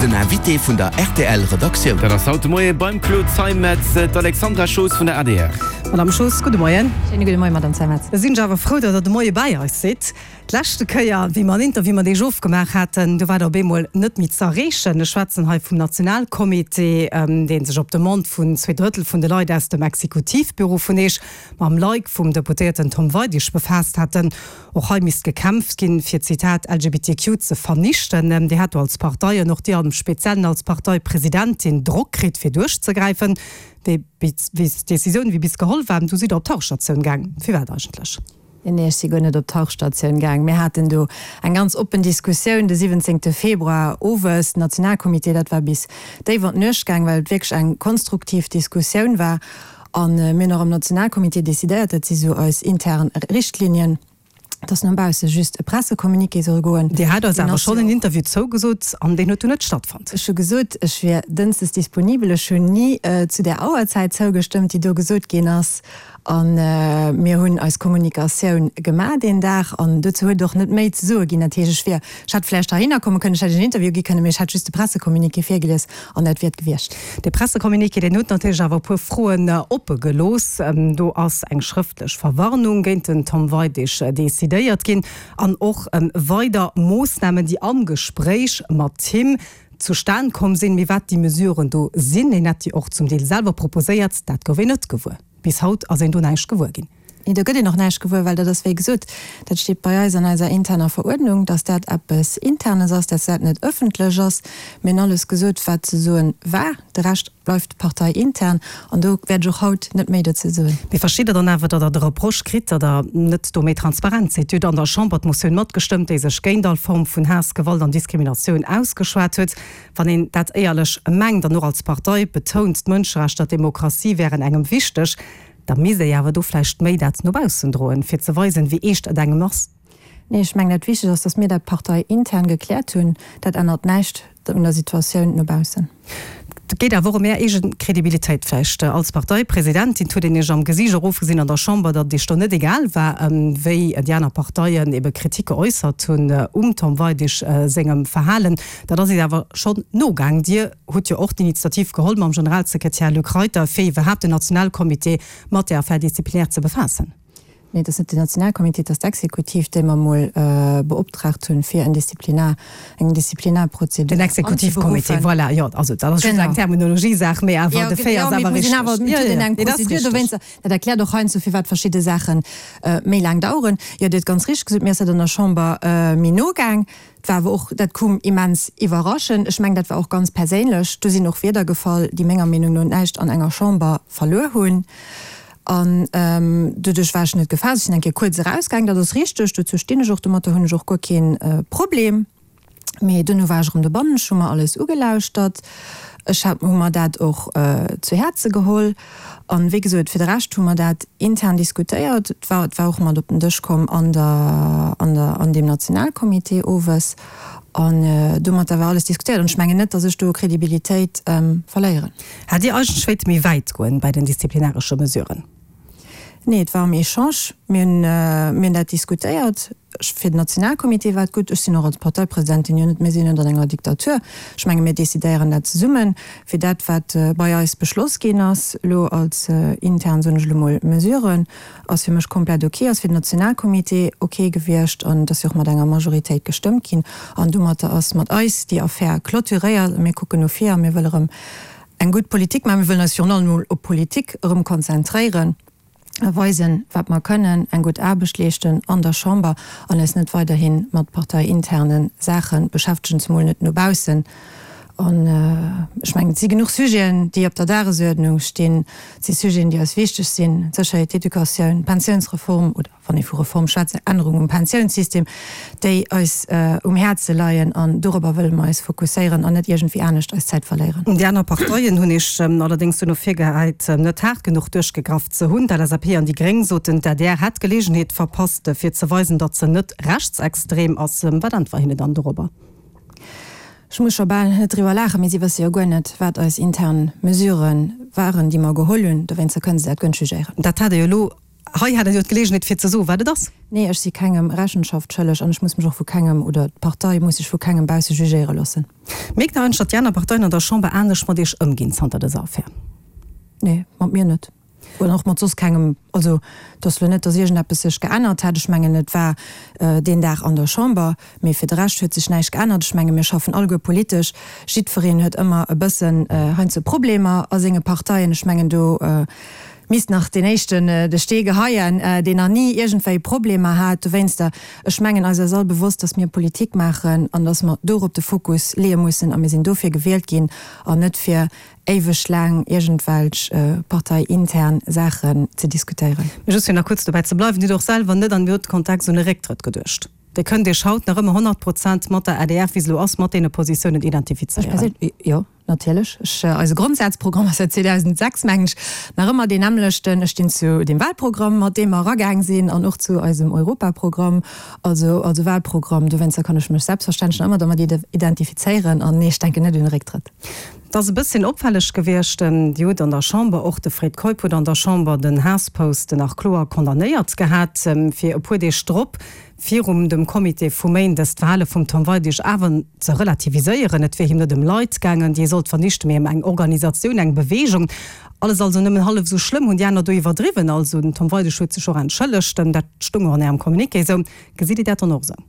Den Invité vun der rtl Redaktioun. Dat ass haut de Moie beim Claude Zeimetz d'Alexandra Schoos vun der adr. Madame Schoos, gudde Moien. Schéine gudde Moien, Madame Zeimetz. Da sinn ech awer frou, datt Der de Moie bäi eis sidd. D'leschte Kéier, wéi mer en Interview mat Iech ofgemaach haten, do war Der op eemol net méi ze erreechen. Ech schwätzen hei vum Nationalcomité, dee sech op Demande vun zweedrëttel vun de Leit aus dem Exekutivbüro vun Eech mam Like vum Deputéierten Tom Weidig befaasst haten. Och hei misst gekämpft ginn, fir, Zitat, LGBTQ ze vernichten. Dir hat do als Partei, an och Dir am Speziellen als Parteipresidentin, Drock kritt, fir duerchzegräifen. Déi Decisioun, wéi bis geholl war, du sidd Der op d'Tauchstatioun gaang. Firwat eigentlech? Nee, ech si guer net op d'Tauchstatioun gaang. Mir haten do eng ganz oppen Diskussioun de 17. Februar owes, den Nationalcomité, dat war bis déif an d'Nuecht gaang, well et wierklech eng konstruktiv Diskussioun war. A mir hunn och am Nationalcomité decidéiert, dat si sou eis intern Richtlinien, dass no bausse just e Pressecommuniqué soll goen. Dir hat eis awer schonn en Interview zougesot an deen huet dunn net stattfonnt. Ech hu gesot, ech wier dënschdes disponibel. Ech hunn ni zu där Auerzäit zougestëmmt, déi do gesot ginn ass. A mir hunn eis Kommunikatioun gemaach deen Dag an dozou huet et och net méi ze soe ginn. Dat heescht, ech wier, ech hätt vläicht heihinner komme kënnen, ech hätt en Interview gi kënnen, mee ech hätt just de Pressecommuniqué virgelies an dat wier et gewiescht. Dee Pressecommuniqué, deen huet natierlech awer e puer Froen oppe gelooss. Do ass eng schrëftlech Verwarnung géint den Tom Weidig decidéiert ginn an och weider Moossnamen, déi am Gespréich mat him zustan komm sinn. Mee wat déi Mesuren do sinn, hien hätt déi och zum Deel selwer proposéiert, dat gouf een net gewuer. Bis haut ass een do näischt gewuer ginn. Nee, do gëtt een och näischt gewuer, well dat ass, wéi gesot, dat steet bei eis an eiser interner Veruerdnung, dass dat eppes Internes ass, dass dat net ëffentlech ass. Mir hunn alles gesot, wat ze soen war. De Rescht bleift parteiintern an do wäert ech och haut net méi dozou soen. Mee versteet Der dann awer, datt Der de Reproche kritt, datt Der net do méi transparent sidd? Dir hutt an der Chamber d'Motioun matgestëmmt, déi sech géint all Form vun Haass, Gewalt an Diskriminatioun ausgeschwat huet. Wann een dat éierlech mengt an och als Partei betount, d'Mënscherechter, d'Demokratie wären engem wichteg, da misst ee awer do vläicht méi dat no baussen droen, fir ze weisen, wéi eescht et engem ass. Nee, ech mengen, dat Wichtegt ass, datt mir dat parteiintern gekläert hunn. Dat ännert näischt un der Situatioun no baussen. Et geet awer och ëm Är eege Kredibilitéit vläicht als Parteipresidentin. Et huet een Iech am Gesiicht erofgesinn an der Chamber, datt et Iech do net egal war, wéi déi aner Parteien ebe Kritik geäussert hunn um Tom Weidig sengem Verhalen. Dat ass Iech awer schonn nogaang. Dir hutt jo och d'Initiativ geholl mam Generalsekretär Luc Reiter, fir iwwerhaapt den Nationalcomité mat där Affaire disciplinaire ze befaassen. Nee, et ass net den Nationalcomité, et ass d'Exekutiv, déi mer emol beoptraagt hunn, fir en Disziplinar, eng Disziplinarprozedur Den Exekutivcomité, voilà, jo, also dat ass just eng Terminologiesaach, mee awer de Fait ass awer richteg. Jo, jo, jo, dat ass richteg. Dat erkläert och heiansdo, firwat verschidde Saache méi laang daueren. Jo, Dir hutt ganz richteg gesot, mir ass dat an der Chamber méi no gaang. Et war awer och, dat koum immens iwwerraschend. Ech mengen, dat war och ganz perséinlech. Do sinn och Wierder gefall, déi menger Meenung no näischt an enger Chamber verluer hunn. An doduerch war ech net gefaasst. Ech sinn eng Kéier kuerz erausgaangen, dat ass richteg, dozou stinn ech och, domatter hunn ech och guer kee Problem. Mee duerno war ech erëm dobannen, ech hu mer alles ugelauschtert, ech hat, hu mer dat och zu Häerze geholl. An, wéi gesot, fir de Rescht hu mer dat intern diskutéiert. Et war, et war och mat op den Dësch komm an der, an der, an deem Nationalcomité owes. An domatter war alles diskutéiert. An ech mengen net, datt ech do Kredibilitéit verléieren. Hätt Dir eigentlech wéilte méi wäit goen bei den disziplinaresche Mesuren? Nee, et war am Echange. Mir hunn, mir hunn dat diskutéiert. Fir den Nationalcomité war et gutt. Ech sinn och als Parteipresidentin jo net, mir sinn net an enger Diktatur. Ech menge mir decidéieren dat zesummen. Fir dat wat bei eis beschloss ginn ass, elo als intern, soen ech elo mol, Mesuren, ass fir mech komplett ok, ass fir den Nationalcomité ok gewiescht an et ass jo och mat enger Majoritéit gestëmmt ginn. An domatter ass mat eis déi Affär clôturéiert a mir kucken no vir a mir wëlle erëm eng gutt Politik maachen. Mir wëllen eis virun allem emol op Politik erëm konzentréieren a weisen, wat mer kënnen, eng gutt Aarbecht leeschten an der Chamber an eis net weiderhi mat parteiinterne Saache beschäftegen, zemol net no baussen. An ech mengen, et si genuch Sujeten, déi op der Dagesuerdnung stinn. Et si Sujeten, déi eis wichteg sinn, d'Sécherheet, d'Educatioun, d'Pensiounsreform oder, wann ee vu Reform schwätzt, Ännerung um Pensiounssystem, déi eis um Häerze leien. An dorobber wëlle mer eis fokusséieren an net iergendwéi anescht eis Zäit verléieren. Déi aner Parteien hunn Iech allerdéngs duerno virgehäit, net haart genuch duerchgegraff ze hunn. D'LSAP an déi Gréng soten, d'ADR hätt d'Geleegenheet verpasst, fir ze weisen, datt se net rechtsextrem ass. Wat äntwer hinne dann dorobber? Ech muss scho bal net driwwer laachen, mee si wësse jo guer net, wat eis intern Mesurë waren, déi mer geholl hunn. Dowéinster kënne se dat guer net jugéieren. Dat hat Der jo elo, hei hat Der jo d'Geleegenheet fir ze soen, wat et ass. Nee, ech si kengem Rechenschaft schëlleg an ech muss mech och vu kengem, oder d'Partei muss sech vu kengem bausse jugéiere loossen. Mierkt Der eigentlech, datt déi aner Parteien an der Chamber anescht mat Iech ëmginn zanter dëser Affär? Nee, mat mir net. Oder och mat soss kengem. Also, et ass elo net, datt iergendeppes sech geännert hätt. Ech mengen, et war deen Dag an der Chamber, mee fir de Rescht huet sech näischt geännert. Ech menge mir schaffen alleguer politesch. Jiddwereen huet ëmmer e bëssen heiansdo Problemer a senge Parteien. Ech mengen, do misst nach deen éischten de Stee geheien, deen nach ni iergendwéi Problemer hat dowéinster. Ech mengen, eis ass all bewosst, datt mir Politik maachen an datt mer dorop de Fokus leeë mussen. A mir sinn dofir gewielt ginn an net fir éiweg laang iergendwelch parteiintern Saachen ze diskutéieren. Mee just fir nach kuerz dobäi ze bleiwen, Dir hutt och selwer net an deem Kontext un e Récktrëtt geduecht. Dir kënnt Iech haut nach ëmmer 100 Prozent mat der adr, wéi se elo ass, mat deene Positiounen identifizéieren. Ech perséinlech, jo, natierlech. Ech, eise Grondsazprogramm ass säit 2006, mengen ech, nach ëmmer deen nämmlechten. Ech stinn zu deem Wahlprogramm, mat deem mer eragaang sinn, an och zu eisem Europaprogramm, also also Wahlprogramm. Dowéinster kann ech mech selbstverständlech nach ëmmer domat identifizéieren. An nee, ech denken net un e Récktrëtt. Et ass e bësschen opfälleg gewiescht, Dir hutt an der Chamber, och de Fred Keup huet an der Chamber den Haasspost nach kloer condamnéiert gehat, fir e puer Deeg drop virum dem Comité vu Méindes d'Verhale vum Tom Weidig awer ze relativiséieren. Et wier him net ëm Leit gaangen, déi ee sollt vernichten, mee ëm eng Organisatioun, eng Beweegung. Alles also nëmmen hallef esou schlëmm. Hunn déi aner do iwwerdriwwen? Also den Tom Weidig huet sech och entschëllegt, dat stoung och an Ärem Communiqué esou. Gesitt Dir dat dann och esou?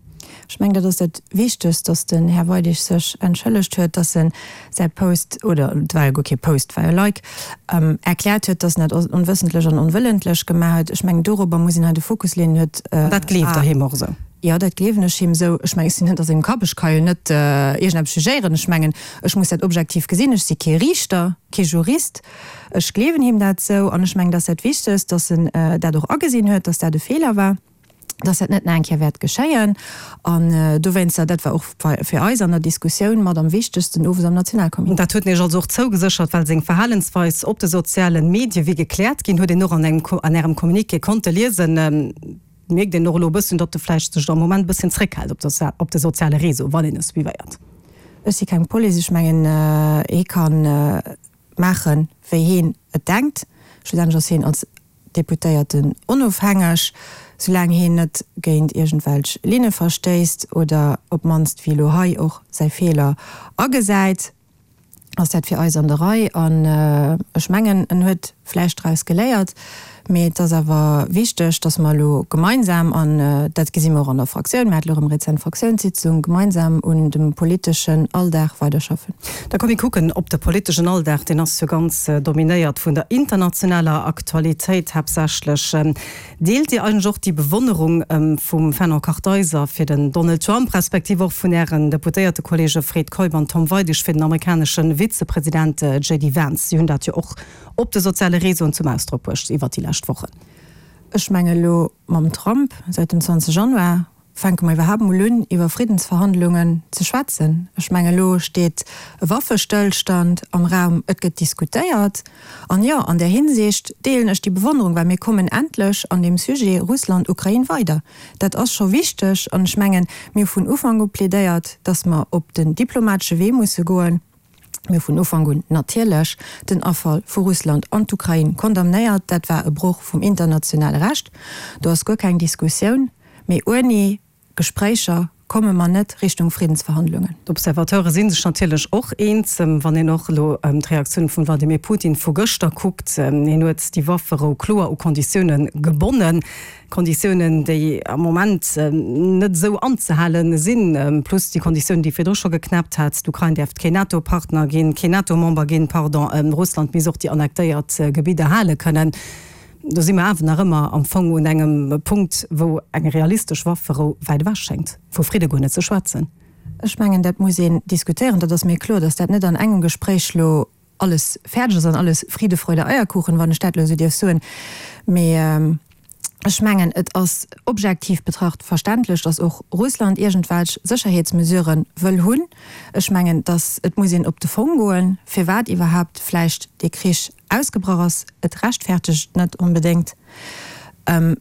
Ech mengen, dat ass dat Wichtegst, dass den Här Weidig sech entschëllegt huet, dass en säi Post, oder et war jo guer kee Post, et war jo e Like, erkläert huet, dass en dat onwëssentlech an onwëllentlech gemaach huet. Ech mengen, dorobber muss een hei de Fokus leeën. Huet. An dat gleeft Der him och esou? Jo, dat gleewen ech him esou. Ech mengen, ech sinn net a sengem Kapp, ech ka jo net iergendeppes jugéieren. Ech mengen, ech muss dat objektiv gesinn. Ech si kee Riichter, kee Jurist. Ech gleewen him dat esou an ech mengen, dat ass dat Wichtegst, dass en dat och agesinn huet, dass dat e Feeler war. dass dat net nach eng Kéier wäert geschéien. An dowéinster, dat war och fir eis an der Diskussioun mat am wichtegsten owes am Nationalcomité. Dat huet en Iech also och zougeséchert, well seng Verhalensweis op de sozialen Medie wier gekläert ginn, huet een och an engem, an Ärem Communiqué konnte liesen. Mierkt een och elo e bësschen, datt e vläicht sech am Moment e bësschen zréckhält op de, op de soziale Réseau, wann een e suivéiert? Ech si keng Police. Ech mengen, hie ka maachen, wéi hien et denkt. Schlussendlech ass hien als Deputéierten onofhängeg, soulaang heen net géint iergendwelch Linne verstéisst oder op d'mannst, wéi elo hei, och säi Feeler agesäit, ass dat fir eis an der Rei. An ech mengen, en huet vläicht draus geléiert. Mee et ass awer wichteg, datt mer elo gemeinsam, an dat gesi mer och an der Fraktioun, mir hate elo erëm rezent Fraktiounssitzung, gemeinsam un dem politeschen Alldag weiderschaffen. Da komm mir kucken op de politeschen Alldag, deen ass jo ganz dominéiert vun der internationaler Aktualitéit haaptsächlech. Deelt Dir eigentlech och déi Bewonnerung vum Fernand Kartheiser fir den Donald Trump, respektiv och vun Ären Deputéiertekollege Fred Keup an Tom Weidig fir den amerikanesche Vizepresident JD Vance? Si hunn dat jo och op de soziale Réseauen zum Ausdrock bruecht iwwert déi lescht Wochen. Ech menge elo mam Trump säit dem 20 Januar Fänke mer iwwerhaapt mol un, iwwer Friddensverhandlungen ze schwätzen? Ech mengen, elo steet e Waffestëllstand am Raum, et gëtt diskutéiert. An jo, an där Hinsicht deelen ech déi Bewonnerung, well mir kommen endlech an deem Sujet Russland-Ukrain weider. Dat ass scho wichteg. An ech mengen, mir hu vun Ufank u plädéiert, datt mer op den diplomatesche Wee musse goen. Mir hu vun Ufank un natierlech den Afall vu Russland an d'Ukrain condamnéiert. Dat war e Broch vum internationale Recht. Do ass guer keng Diskussioun. Mee ouni Gespréicher komme mer net Richtung Friddensverhandlungen. D'Observateure si sech natierlech och eens, wann een och elo d'Reaktioun vum Wladimir Putin vu gëschter kuckt. Hien huet déi Wafferou kloer u Konditioune gebonnen. Konditiounen, déi am Moment net esou anzehale sinn, plus déi Konditiounen, déi virdru scho geknäppt hat, d'Ukrain däerft keen NATO-Partner ginn, keen NATO-Member ginn, pardon, Russland misst och déi annektéiert Gebidder hale kënnen. Do si mer awer nach ëmmer am Fong un engem Punkt, wou eng realistesch Wafferou wäit ewech schéngt, vu Fridde guer net ze schwätzen. Ech mengen, dat muss een diskutéieren. Dat ass mir kloer, datt dat net an engem Gespréich elo alles fäerdeg ass an alles Friede, Freude, Eierkuchen, wann ech dat elo esou dierf soen. Mee ech mengen, et ass objektiv betracht verständlech, datt och Russland iergendwelch Sécherheetsmesurë wëll hunn. Ech mengen, datt et muss een op de Fong goen, firwat iwwerhaapt vläicht dee Krich ausgebrach ass. Et rechtfertegt et net onbedéngt,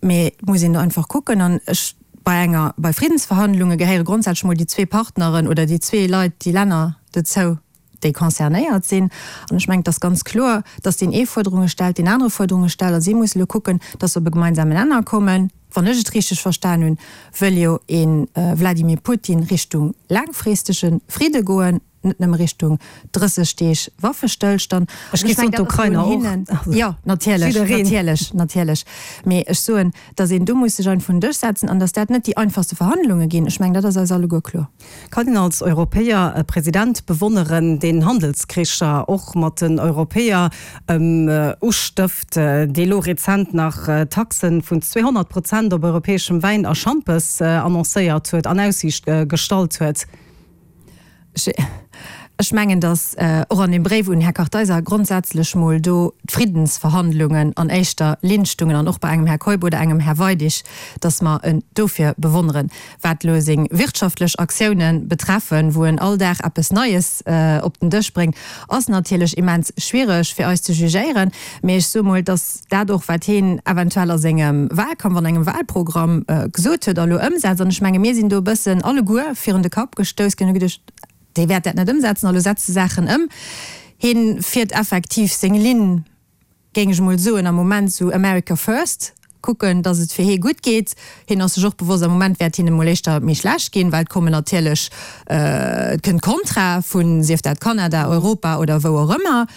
mee et muss een do einfach kucken. An ech, bei enger, bei Friddensverhandlunge gehéiere grondsätzlech mol déi zwee Partneren oder déi zwee Leit, déi Länner dozou, déi concernéiert sinn. An ech mengen, et ass ganz kloer, dass deen ee Fuerderunge stellt, deen anere Fuerderunge stellt, a si musse elo kucken, dass se op e gemeinsamen Nenner kommen. Wann ech et richteg verstan hunn, wëll jo ee Vladimir Putin Richtung laangfristege Fridde goen. net nëmme Richtung 30 Deeg Waffestëllstand. Ech géif soen, d'Ukrainer och. Jo, natierlech, natierlech, natierlech. Mee ech soen, datt een do muss sech einfach un den Dësch setzen an datt dat net déi einfachste Verhandlunge ginn. Ech mengen, dat ass eis alleguer kloer. Kann een als Europäer e President bewonneren, deen Handelskricher och mat den Europäer ustëft, dee lo rezent nach Taxen vun 200 Prozent op europäeschem Wäin a Schampes annoncéiert huet, an Aussiicht gestallt huet? Ech mengen, datt och an deem Bréif un den Här Kartheiser grondsätzlech mol do d'Friddensverhandlungen an éischter Linn stungen an och bei engem Här Keup oder engem Här Weidig, datt mer en dofir bewonneren. Wat elo seng wirtschaftlech Aktiounen betreffen, wou en all Dag eppes Neies op den Dësch bréngt, ass natierlech immens schwiereg fir eis ze jugéieren. Mee ech soe mol, datt dat och, wat hien eventuell a sengem Wahlkampf, an engem Wahlprogramm gesot huet a lo ëmsetzt, an ech menge mir sinn do e bëssen alleguer virun de Kapp gestouss ginn, hu geduecht, dee wäert dat net ëmsetzen a lo setzt e Saachen ëm. Hie fiert effektiv seng Linn, géing ech emol soen, am Moment esou America first, kucken, datt et fir hie gutt geet. Hien ass sech och bewosst, am Moment wäert hinne mol éischter méi schlecht ginn, well et kommen natierlech, et kënnt Kontra vun, sief dat Kanada, Europa oder wou och ëmmer.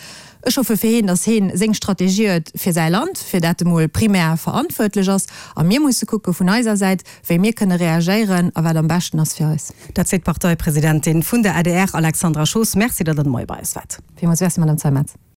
Ech hoffe fir hien, datt hien seng Strategie huet fir säi Land, fir dat e mol primär verantwuertlech ass. A mir musse kucke vun eiser Säit, wéi mir kënne reagéieren a wat am beschten ass fir eis. Dat seet d'Parteipresidentin vun der adr, Alexandra Schoos. Merci, datt Der de Moie bei eis waart. Villmools Merci, Madame Zeimetz.